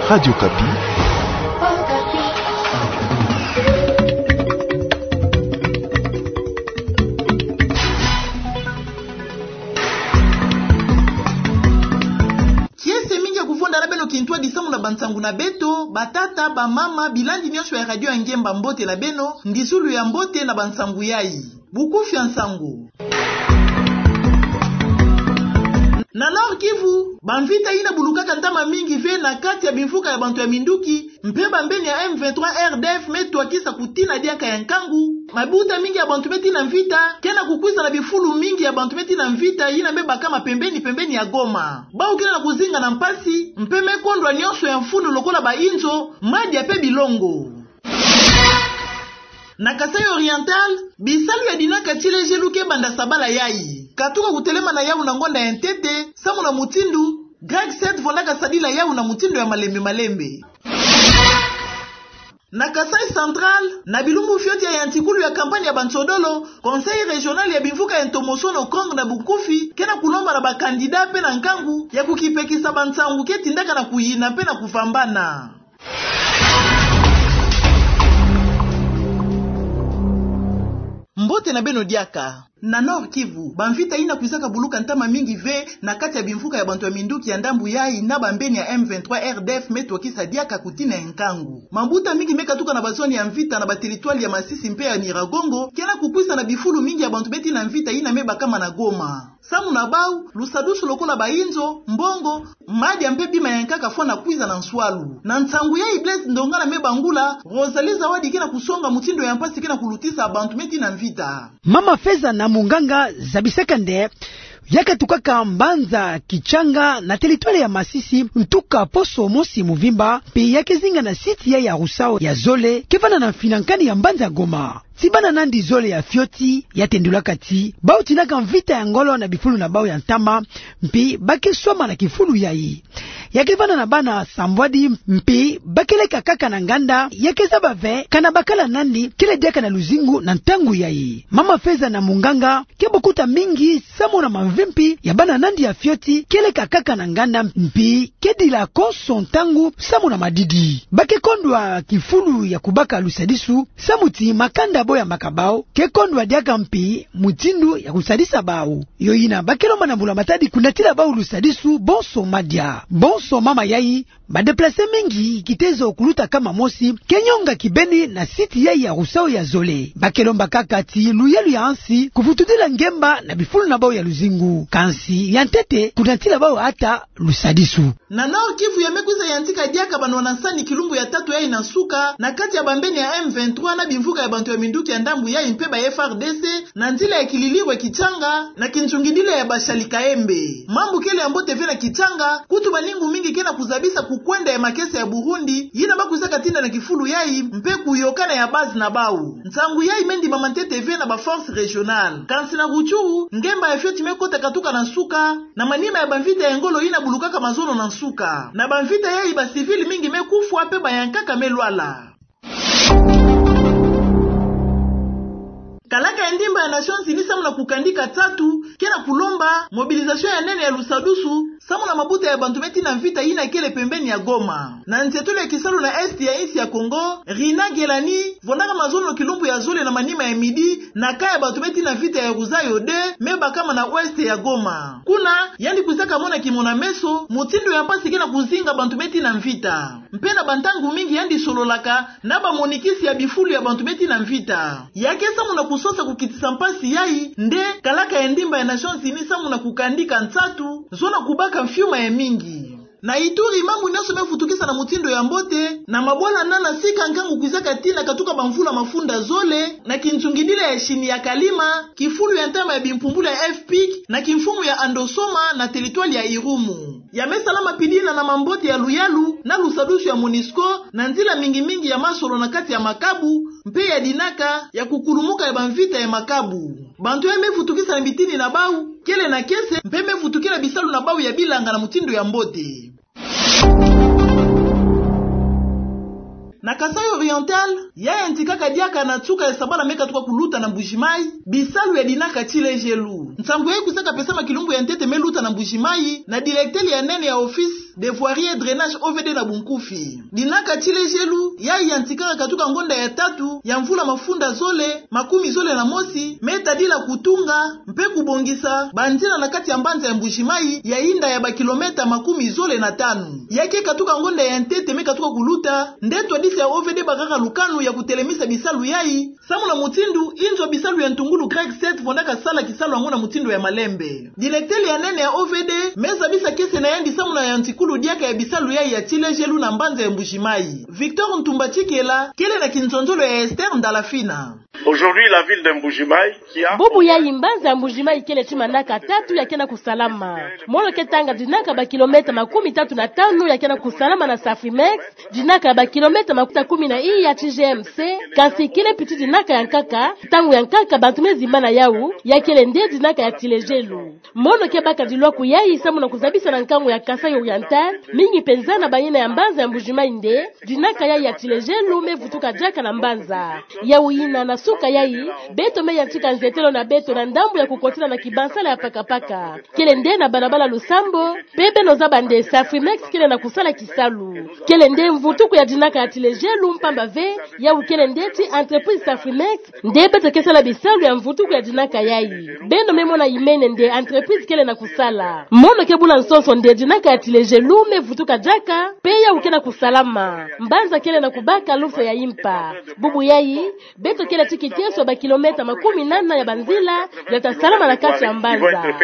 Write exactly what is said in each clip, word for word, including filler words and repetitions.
Radio Okapi. Kiese mingi ya kuvonda na beno kintwadi samu na bansangu na beto, batata, bamama, bilandi nyonso ya Radio ya Ngemba, mbote na beno, ndizulu ya mbote na bansangu yai. Bokufi ya nsangu. Na Nord-Kivu, bamvita yina bulukaka ntama mingi ve na kati ya bimvuka ya bantu ya minduki, mpe bambeni ya M vingt-trois R D F me twakisa kutina diaka ya nkangu. Mabuta mingi ya bantu me tina mvita, ke na kukwiza na bifulu mingi ya bantu me tina mvita yina me bakama pembeni-pembeni ya Goma. Bau ke na kuzinga na mpasi, mpe me kondwa nyonso ya mfunu lokola bainzo, madia mpe bilongo. Na Kasaï Oriental, bisalu ya dinaka tilejelu ke banda sabala yai. Katuka kutelema na yau na ngonda ya ntete, samu na mutindu Greg Seth vondaka sadila yau na mutindu ya malembe-malembe. Na Kasaï Central, na bilumbu fioti ya yantikulu ya kampanye ya bansodolo, Conseil Régional ya bimvuka ya ntomosono, Kongo na Bunkufi, ke na kulomba na bakandida mpe na nkangu ya kukipekisa bansangu ke tindaka na kuyina mpe na kuvambana. Mbote na beno diaka. Na Nord-Kivu, bamvita yina kwizaka buluka ntama mingi ve na kati ya bimvuka ya bantu ya minduki ya ndambu yai na bambeni ya M vingt-trois R D F me twakisa diaka kutina ya nkangu. Mabuta mingi me katuka na bazone ya mvita na bateritware ya Masisi mpe ya Nyiragongo, ke na kukwiza na bifulu mingi ya bantu me tina mvita yina me bakama na Goma. Samu na bau, lusadusu lokola bainzo, mbongo, madia mpe bima ya nkaka fwana kwiza na nswalu. Na nsangu yai Blaise Ndongala me bangula, Rosalie Zawadi ke na kusonga mutindu ya mpasi ke na kulutisa bantu me tina mvita. Mama Feza na Munganga zabisaka nde ya katukaka mbanza Kitshanga na teritware ya Masisi, ntuka poso mosi muvimba, mpe ya ke zinga na site yai ya Rousseau ya zole, ke vanda na mfinankani ya mbanza Goma. Ti bana nandi zole ya fioti ya tendulaka ti bau tinaka mvita ya ngolo na bifulu na bau ya ntama, mpe ba ke swama na kifulu yai. Ya ke vanda na bana sambwadi, mpe ba ke leka kaka na nganda, ya ke zaba ve kana bakala nandi kele diaka na luzingu na ntangu yai. Mama Feza na Munganga ke bokuta mingi samu na mamvimpi ya bana nandi ya fioti ke leka kaka na nganda, mpe ke dila konso ntangu samu na madidi. Ba ke kondwa kifulu ya kubaka lusadisu, samu ti makanda bo ya mbaka bau ke kondwa diaka mpe mutindu ya kusadisa bau. Yo yina ba ke lomba na mbula matadi kunatila bau lusadisu bonso madia. Bonso mama yai, ba déplacés mingi kitezo kuluta kama mosi, ke nyonga kibeni na site yai ya Rousseau ya zole. Ba ke lomba kaka ti luyalu ya nsi kuvutudila ngemba na bifulu na bau ya luzingu. Kansi ya ntete kunatila bau ata lusadisu. Na Nord-Kivu, ya me kwiza yantika diaka banwana nsani kilumbu ya tatu yai na nsuka, na kati ya bambeni ya M vingt-trois na bimvuka ya bantu ya minduki ya ndambu yai mpe ba F A R D C, na nzila ya kililirwe Kitshanga, na kinzungidila ya Bashali Kaembe. Mambu kele ya mbote ve na Kitshanga, kutu baningu mingi ke na kuzabisa kukwenda ya makesa ya Burundi, yina ba kwizaka tinda na kifulu yai, mpe kuyokana ya base na bau. Nsangu yai me ndimama ntete ve na ba forces régionales. Kansi na Rutshuru, ngemba ya fioti me kota katuka na nsuka, na manima ya bamvita ya ngolo yina bulukaka mazono na nsuka. Na bamvita yai ba civils mingi me kufwa mpe ba ya nkaka me lwala. Kalaka ya ndimba ya Nations Unies samu na kukandika nsatu ke na kulomba mobilisation ya nene ya lusadusu samu na mabuta ya bantu me tina mvita yina kele pembeni ya Goma. Na nzietolo ya kisalu na Est ya insi ya Congo, Rina Gelani, vondaka mazono kilumbu ya zole na manima ya midi, na camp ya bantu me tina mvita ya Ruzayo deux, me bakama na Ouest ya Goma. Kuna, yandi kwizaka mona kimona-meso mutindu ya mpasi ke na kuzinga bantu me tina mvita. Mpe na bantangu mingi yandi sololaka na bamonikisi ya bifulu ya bantu me tina mvita. Ya ke samu na kusosa kukitisa mpasi yai, nde kalaka ya ndimba ya Nations Unies samu na kukandika nsatu, zona kubaka mfiuma ya mingi. Na Ituri, mambu nyonso me vutukisa na mutindu ya mbote, na mabwala nana sika nkangu kwizaka tina katuka bamvula mafunda zole, na kinzungidila ya Chine ya Kalima, kifulu ya ntama ya bimpumbulu ya F pic, na kimfumu ya Andosoma, na territoire ya Irumu. Ya me salama mpidi na mambote ya luyalu, na lusadusu ya MONUSCO, na nzila mingi-mingi ya masolo na kati ya makabu, mpe ya dinaka, ya kukulumuka ya bamvita ya makabu. Bantu ya me vutukisa na mitini na bau, kele na kiese, mpe me vutukila bisalu na bau ya bilanga na mutindu ya mbote. Na Kasaï Oriental, ya yantikaka diaka na nsuka ya sabala me katuka kuluta na Mbuji-Mayi, bisalu ya dinaka tilejelu. Nsangu yai kwizaka pesama kilumbu ya ntete me luta na Mbuji-Mayi, na directeur ya nene ya office de voirie et drainage, O V D na bunkufi. Dinaka tilejelu, yayi yantikaka katuka ngonda ya tatu ya mvula mafunda zole makumi zole na mosi, me tadila kutunga mpe kubongisa banzila na kati ya mbanza ya Mbuji-Mayi ya inda ya bakilometa makumi zole na tanu. Ya ke katuka ngonda ya ntete me katuka kuluta, nde twadisi ya O V D bakaka lukanu ya kutelemisa bisalu yayi, samu na mutindu inzo bisalu ya ntungulu Greg Seth vondaka sala kisalu yango na mutindu ya malembe. Directeur ya nene ya O V D me zabisa kiese na yandi samu na yantikulu diaka ya bisalu yayi ya tilejelu na mbanza ya Mbuji-Mayi. Victor Ntumba Tshikela kele na kinzonzolo ya Esther Ndalafina. Aujourd'hui, la ville de Mbuji-Mayi qui a... Bubu yayi mbanza ya Mbuji-Mayi kele ti manaka tatu ya ke na kusalama. Mono ke tanga dinaka bakilometa makumi tatu na tanu ya ke na kusalama na Safrimex, dinaka ya bakilometa makuta kumi na iya ti G M C, kansi kele piti dinaka ya nkaka, ntangu ya nkaka bantu me zimbana yawu, ya kele nde dinaka ya tilejelu. Mono ke baka dilwaku yayi samu na kuzabisa na nkangu ya Kasaï Oriental, mingi mpenza na bayina ya mbanza ya Mbuji-Mayi nde dinaka yayi ya tilejelu me vutuka diaka na mbanza. Yawu yina na suka yayi, beto me yantika nzetelo na beto na ndambu ya kukotila na kibansala ya pakapaka. Kele nde na balabala Lusambo, mpe beno zaba nde Safrimex kele na kusala kisalu. Kele nde mvutuku ya dinaka ya tilejelu mpamba ve, yawu kele nde ti entreprise Safrimex, nde beto ke sala bisalu ya mvutuku ya dinaka yayi. Beno me mona imene nde entreprise kele na kusala. Mono ke bula nsonso nde dinaka ya tilejelu me vutuka diaka, mpe yawu ke na kusalama. Mbanza kele na kubaka lufwa ya impa. Bubu yayi, beto kele ti kiteso ya bakilometa makumi nana ya banzila ya ta salama na kati ya mbanza.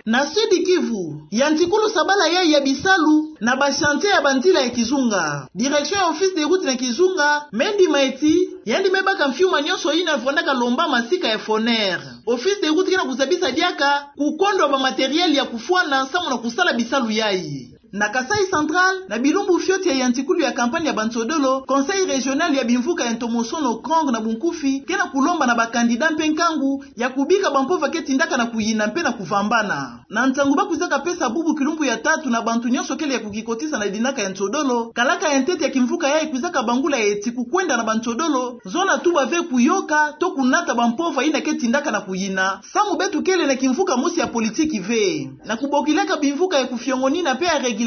Na Sud Kivu, yantikulu sabala yayi ya bisalu na ba chantier ya banzila ya Kizunga. Direction ya Office des routes na Kizunga me ndima ti yandi me baka mfiuma nyonso yina vondaka lomba masika ya Foner. Office des routes ke na kuzabisa diaka kukondwa ba matériel ya kufwana samu na kusala bisalu yayi. Na Kasaï Central, na bilumbu fioti ya yantikulu ya campagne ya bansodolo, Conseil régional ya bimvuka ya ntomosono, CRONG na bunkufi, ke na kulomba na ba candidats mpe nkangu ya kubika bampova ke tindaka na kuyina mpe na kuvambana. Na nsangu ba kwizaka pesa bubu kilumbu ya tatu na bantu nyonso kele ya kukikotisa na dinaka ya nsodolo, kalaka ya ntete ya kimvuka yayi kwizaka bangula ti kukwenda na bansodolo, zona tuba ve kuyoka to kunata bampova yina ke tindaka na kuyina, samu beto kele na kimvuka mosi ya politiki ve. Na kubokilaka bimvuka ya kufiongonina mpe ya régulation,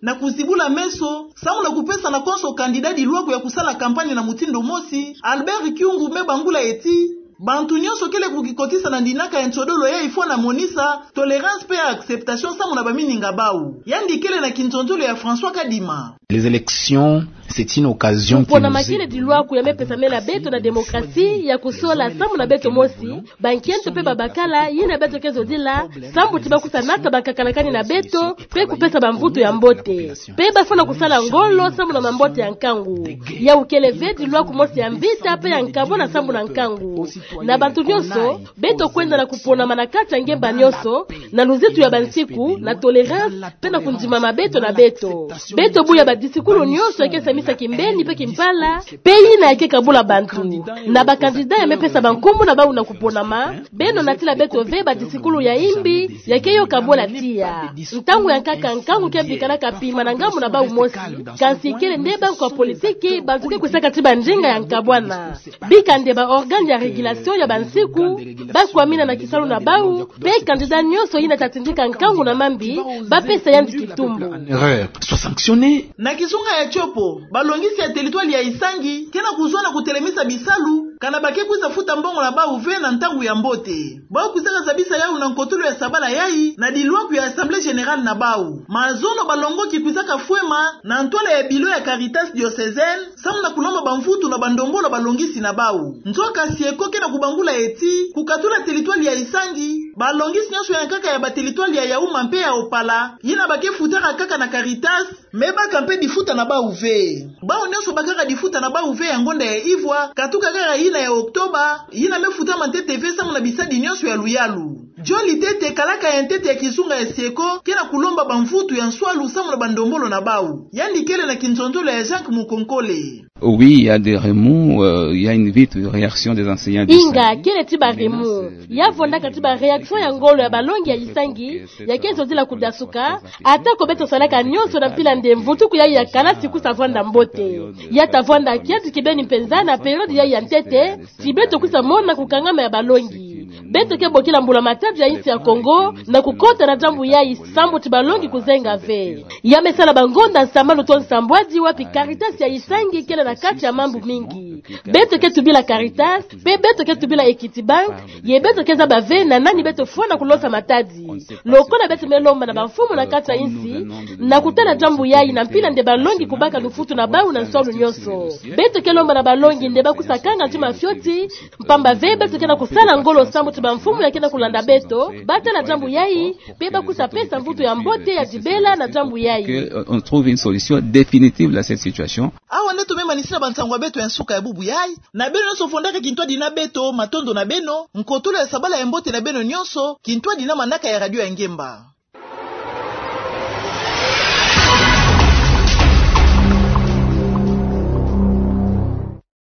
na kuzibula meso, samu na kupesa na konso candidat dilwaku ya kusala campagne na mutindu mosi, Albert Kyungu me bangula ti bantu nyonso kele kukikotisa na dinaka ya nsodolo yayi fwana monisa tolérance mpe acceptation samu na bamininga bawu. Yandi kele na kinzonzolo ya François Kadima. Les élections, c'est une occasion qui nous est donnée. Kupona makele dilwaku ya me pesamela beto na démocratie ya kusola samu na beto mosi, bankento mpe babakala, yina beto ke zodila, samu ti ba kwiza nata bankakalakani na beto, mpe kupesa bamvutu ya mbote. Mpe ba fwana kusala ngolo samu na mambote ya nkangu. Yawu kele ve dilwaku mosi ya mvita mpe ya nkabwana samu na nkangu. Na bantu nyonso, beto kwenda na kuponama na kati ya ngemba nyonso, na luzitu ya bansiku, na tolérance, mpe na kundimama beto na beto. Beto buya badisikulu nyonso ya ke samisa kimbeni mpe kimpala, mpe yina ya ke kabula bantu. Na ba candidats ya me pesa bankumbu na bawu na kuponama, beno natila beto ve badisikulu ya imbi, ya ke yoka bula tiya. Ntangu ya nkaka nkangu ke bikalaka pima na ngambu na bawu mosi, kansi kele nde bawu kwa politiki, bantu ke kwisaka ti bandinga ya nkabwana. Bika nde ba organes ya régulation ya bansiku, ba kwamina na kisalu na bawu, mpe candidat nyonso yina ta tindika nkangu na mambi, ba pesa yandi kitumbu. En erreur, soit sanctionné. Na kizunga ya Tshopo, balongisi ya territoire ya Isangi, ke na kuzwana kutelemisa bisalu, kana ba ke kwiza futa mbongo na bawu ve na ntangu ya mbote. Bawu kwizaka zabisa yawu na nkotolo ya sabala yayi, na dilwaku ya Assemblée générale na bawu. Mazono balongoki kwizaka fwema, na ntwala ya bilo ya Caritas diocésaine, samu na kulomba bamvutu na bandombolo balongisi na bawu. Nzoka Sieko ke na kubangula ti, kukatula territoire ya Isangi, balongisi nyonso ya nkaka ya ba territoire ya Yaouma mpe ya Opala, yina ba ke futaka kaka na Caritas, me baka mpe difuta na bawu ve. Bawu nyonso bakaka difuta na bawu ve ya ngonda ya ivwa, katuka kaka yina ya Octobre, yina me futama ntete ve samu na bisadi nyonso ya luyalu. John Litete, kalaka ya ntete ya kizunga ya Sieko, ke na kulomba bamvutu ya nswalu samu na bandombolo na bawu. Yandi kele na kinzonzolo ya Jacques Mukonkole. Oui, il y a des remous, euh, il y a une vite réaction des enseignants du Inga, Saint-Louis. Kele ti ba remous. Ya vwandaka ti ba réaction ya ngolo ya balongi ya Isangi, ya ke zodila kudasuka, ata ko beto salaka nyonso na mpila nde mvutuku yayi ya kalasi kwiza vwanda mbote. Ya ta vwanda kiadi kibeni mpenza na période yayi ya ntete, ti beto kwiza mona kukangama ya balongi. Beto ke bokila mbula-matadi ya insi ya Kongo na kukota na diambu yayi, sambu ti balongi kuzenga ve. Ya me sala bangonda nsambanu to nsambwadi wapi Caritas ya Isangi kele na kati ya mambu mingi. Beto ke tubila Caritas, pe beto ke tubila Equity Bank, ye beto ke zaba ve na nani beto fwana kulosa matadi. Lokola beto me lomba na bamfumu na kati ya insi, na kutala diambu yayi na mpila nde balongi kubaka lufutu na bawu na nswalu nyonso. Beto ke lomba na balongi nde bakwiza kanga ntima fioti, mpamba ve beto ke na kusala ngolo sambu ti bamfumu ya ke na kulanda beto, batala diambu yayi, pe bakwiza pesa mvutu ya mbote ya dibela na diambu yayi. Que, euh, on trouve une solution définitive à cette situation. Awa nde to me manisila bansangu ya beto ya nsuka ya bubu yayi. Na beno nyonso fondaka kintwadi na beto, matondo na beno, nkotolo ya sabala ya mbote na beno nyonso, kintwadi na manaka ya Radio ya Ngemba.